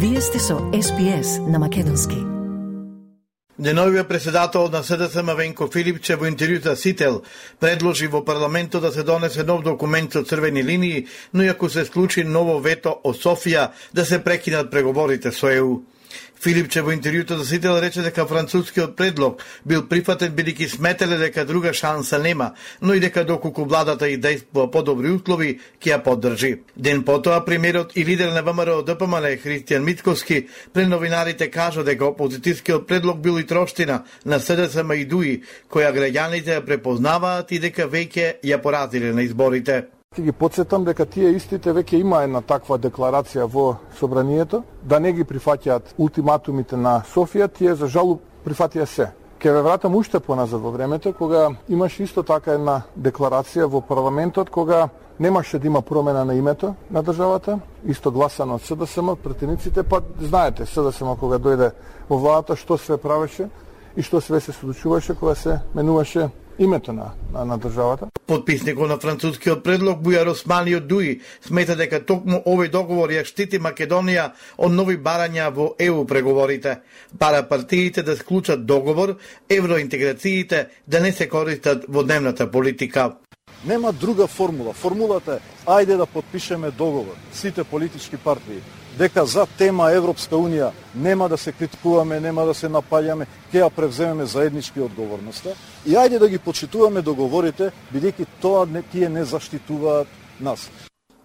Вие сте со SPS на македонски. Деновиот председател на СДСМ Венко Филипче во интервју за Сител предложи во парламентот да се донесе нов документ со црвени линии, но и ако се склучи ново вето од Софија да се прекинат преговорите со ЕУ. Филипче во интервјуто за Сител рече дека францускиот предлог бил прифатен бидејќи сметеле дека друга шанса нема, но и дека доколку владата и дејствува подобри услови, ќе ја поддржи. Ден потоа премиерот и лидер на ВМРО ДПМН Христијан Мицкоски пред новинарите кажа дека опозитивскиот предлог бил и троштина на СДСМ и ДУИ, која граѓаните ја препознаваат и дека веќе ја поразиле на изборите. Ќе ги потсетам дека тие истите веќе има една таква декларација во собранието, да не ги прифаќаат ултиматумите на Софија, тие за жал прифатија се. Ке ве вратам уште поназад во времето, кога имаше исто така една декларација во парламентот, кога немаше да има промена на името на државата, исто гласано од СДСМ, претениците, па знаете, СДСМ кога дојде во владата, што све правеше и што све се случуваше кога се менуваше името на државата. Подписникот на францускиот предлог Бујар Османи од ДУИ смета дека токму овој договор ја штити Македонија од нови барања во ЕУ преговорите. Бара партиите да склучат договор, евроинтеграциите да не се користат во дневната политика. Нема друга формула. Формулата е ајде да подпишеме договор, сите политички партии, дека за тема Европска Унија нема да се критикуваме, нема да се напаѓаме, ќе ја превземеме заеднички одговорноста и ајде да ги почитуваме договорите, бидејќи тоа тие не заштитуваат нас.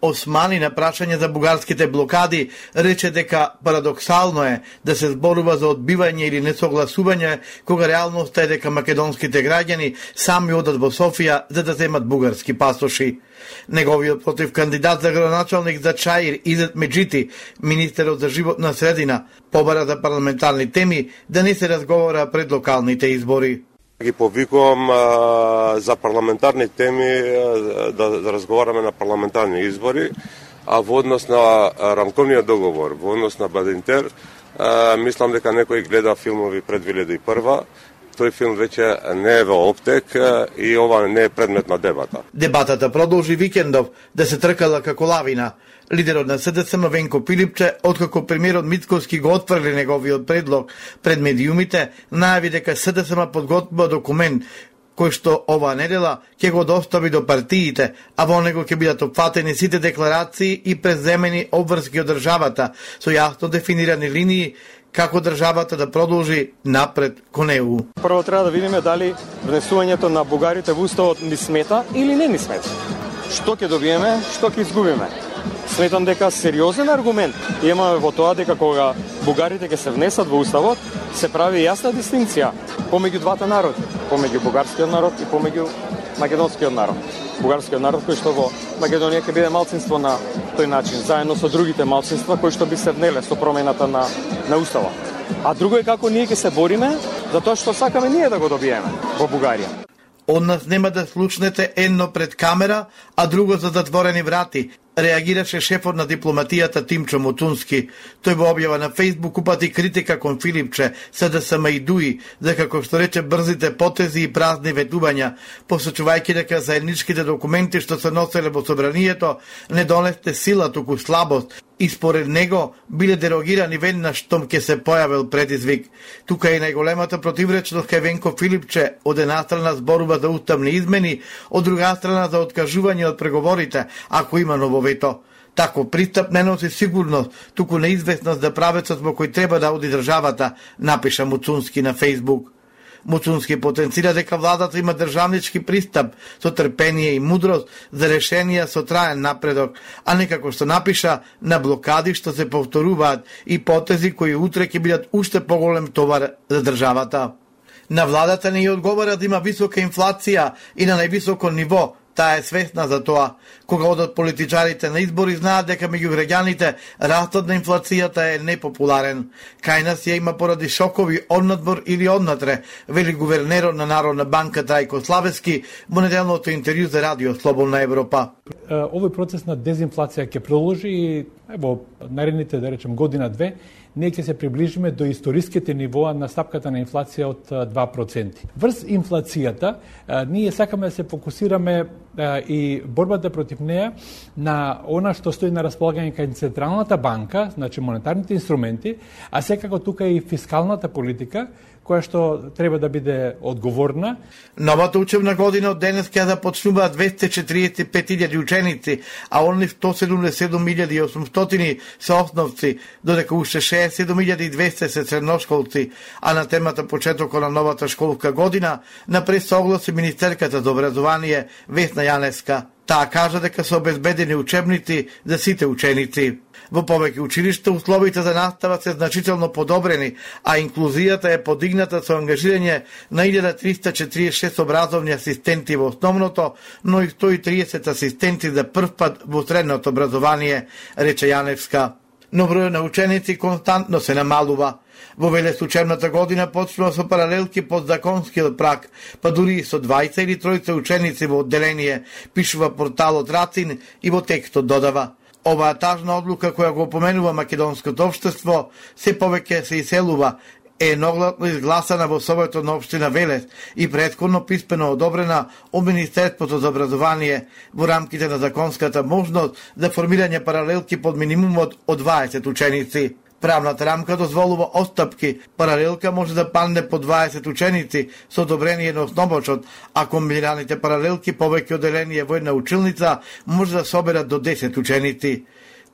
Османи на прашање за бугарските блокади рече дека парадоксално е да се зборува за одбивање или несогласување кога реалноста е дека македонските граѓани сами одат во Софија за да земат бугарски пасоши. Неговиот против кандидат за градоначалник за Чаир Изет Меджити, министерот за животна средина, побара за парламентарни теми да не се разговара пред локалните избори. Ги повикувам за парламентарни теми да разговараме на парламентарни избори, а во однос на рамковниот договор, во однос на Бадинтер, мислам дека некој гледа филмови пред 2001. Тој филм веќе не е во оптек и ова не е предмет на дебата. Дебатата продолжи викендов да се тркала како лавина. Лидерот на СДСМ Венко Филипче, откако премиерот Мицкоски го отфрли неговиот предлог пред медиумите, најави дека СДСМ подготвува документ кој што оваа недела ќе го достави до партиите, а во него ќе бидат опфатени сите декларации и преземени обврски од државата со јасно дефинирани линии како државата да продолжи напред кон ЕУ. Прво треба да видиме дали внесувањето на бугарите во уставот ни смета или не ни смета. Што ќе добиеме, што ќе изгубиме. Сметам дека сериозен аргумент имаме во тоа дека кога бугарите ќе се внесат во уставот, се прави јасна дистинција помеѓу двата народи, помеѓу бугарскиот народ и помеѓу македонскиот народ. Бугарскиот народ кој што во Македонија ќе биде малцинство на тој начин, заедно со другите малцинства кои што би се внеле со промената на уставот. А друго е како ние ќе се бориме за тоа што сакаме ние да го добиеме во Бугарија. Од нас нема да слушнете едно пред камера, а друго за затворени врати, реагираше шефот на дипломатијата Тимчо Муцунски. Тој во објава на Фејсбук упати критика кон Филипче, СДСМ и ДУИ, за како што рече брзите потези и празни ветувања, посочувајќи дека заедничките документи што се носеле во собранието не донесте сила, туку слабост, и според него биле дерогирани веднаш штом ќе се појавил предизвик. Тука е најголемата противречност кај Венко Филипче, од една страна зборува за уставни измени, од друга страна за откажување од преговорите, ако има ново вето. Тако пристап не носи сигурност, туку неизвестност за правецот во кој треба да оди државата, напиша Муцунски на Фејсбук. Муцунски потенцира дека владата има државнички пристап со трпение и мудрост за решенија со траен напредок, а не како што напиша на блокади што се повторуваат и потези кои утре ќе бидат уште поголем товар за државата. На владата не ја одговара да има висока инфлација и на највисоко ниво, таа е свесна за тоа. Кога одат политичарите на избори, знаат дека меѓу граѓаните растот на инфлацијата е непопуларен. Кај нас ја има поради шокови однадвор или однатре, вели гувернерот на Народна банка Трајко Славески во неделното интервју за Радио Слободна Европа. Овој процес на дезинфлација ќе продолжи и во наредните, да речем, година-две, ние ќе се приближиме до историските нивоа на стапката на инфлација од 2%. Врз инфлацијата, ние сакаме да се фокусираме и борбата против неа, на она што стои на располагање кај Централната банка, значи монетарните инструменти, а секако тука и фискалната политика, која што треба да биде одговорна. Новата учебна година од денес ќе започнуваат 245.000 ученици, а онли 177.800 се основци, додека уште 67.200 се средношколци, а на темата почетокот на новата школска година напред се огласи министерката за образование Весна Јаневска. Таа кажа дека се обезбедени учебници за сите ученици. Во повеќе училишта условите за настава се значително подобрени, а инклузијата е подигната со ангажирање на 1346 образовни асистенти во основното, но и 130 асистенти за прв пат во средното образование, рече Јаневска. Но бројот на ученици константно се намалува. Во Велес учебната година почнува со паралелки под законскиот праг, па дури и со 20 или 30 ученици во одделение, пишува порталот Рацин и во текстот додава: оваа тажна одлука која го опоменува македонското општество се повеќе се иселува, е едногласно изгласана во Советот на општина Велес и претходно писмено одобрена од Министерството за образование во рамките на законската можност за формирање паралелки под минимумот од 20 ученици. Правната рамка дозволува отстапки. Паралелка може да падне по 20 ученици со одобрение на основачот, а комбинираните паралелки повеќе одделение во една училница може да соберат до 10 ученици.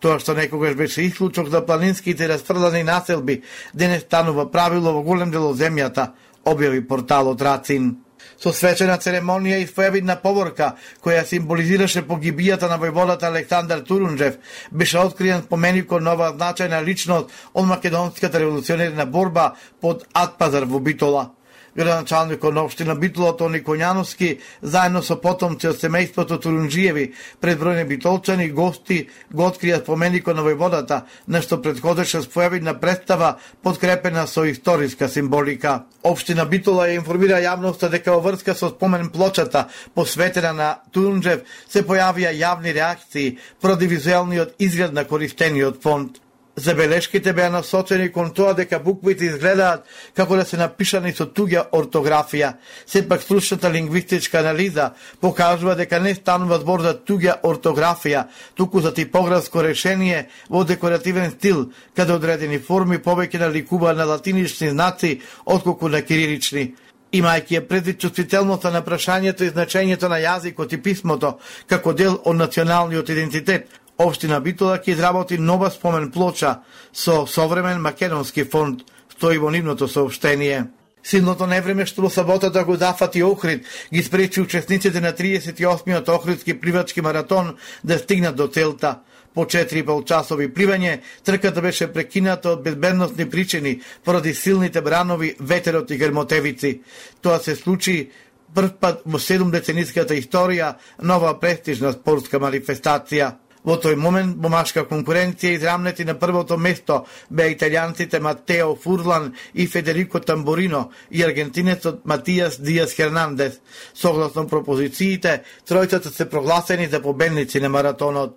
Тоа што некогаш беше исклучок за планинските расфрлани населби, денес станува правило во голем дел од земјата, објави порталот Рацин. Со свечена церемонија и своевидна поворка, која символизираше погибијата на војводата Александар Турунџев, беше откриен споменикот на оваа значајна личност од македонската револуционерна борба под Атпазар во Битола. Градоначалникот на општина Битола Тони Коњановски, заедно со потомци од семејството Турунџиеви, пред бројни битолчани гости го открија споменикот на војводата, нешто претходеше своевидна представа подкрепена со историска символика. Општина Битола ја информира јавноста дека во врска со спомен плочата посветена на Турунџев се појавија јавни реакции поради визуелниот изглед на користениот фонд. Забелешките беа насочени кон тоа дека буквите изгледаат како да се напишани со туѓа ортографија. Сепак стручната лингвистичка анализа покажува дека не станува збор за туѓа ортографија, туку за типографско решение во декоративен стил, каде одредени форми повеќе наликуваат на латинични знаци отколку на кирилични. Имајќи ја предвид чувствителноста на прашањето и значењето на јазикот и писмото како дел од националниот идентитет, Општина Битола ќе изработи нова спомен плоча со современ македонски фонд, стои во нивното соопштение. Силното невреме што во саботата го зафати Охрид ги спречи учесниците на 38-миот Охридски пливачки маратон да стигнат до целта. По 4,5 часови пливање, трката беше прекината од безбедносни причини поради силните бранови, ветерот и грмотевици. Тоа се случи прв пат во 7-децениската историја на оваа престижна спортска манифестација. Во тој момент во машка конкуренција израмнети на првото место беа италијанците Матео Фурлан и Федерико Тамбурино и аргентинецот Матијас Диас Хернандес. Согласно пропозициите, тројцата се прогласени за победници на маратонот.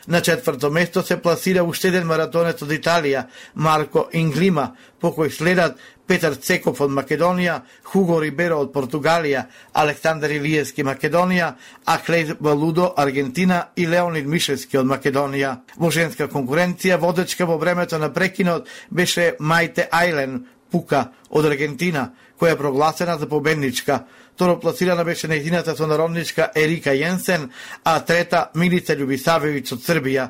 На четврто место се пласира уште еден маратонец од Италија, Марко Инглима, по кој следат Петар Цеков од Македонија, Хуго Риберо од Португалија, Александар Илиевски Македонија, Аклеј Валудо Аргентина и Леонид Мишевски од Македонија. Во женска конкуренција водечка во времето на прекинот беше Мајте Ајлен Пука од Аргентина, која е прогласена за победничка. Второпласирана беше нејзината сонародничка Ерика Јенсен, а трета Милица Љубисавевиќ од Србија.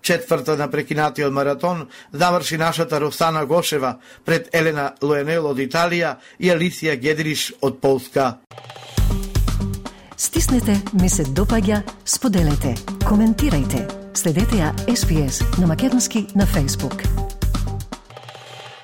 Четврта на прекинатиот маратон заврши нашата Росана Гошева пред Елена Лоенел од Италија и Алисија Гедриш од Полска. Стиснете, ми се допаѓа, споделете, коментирајте. Следете ја SPS на македонски на Facebook.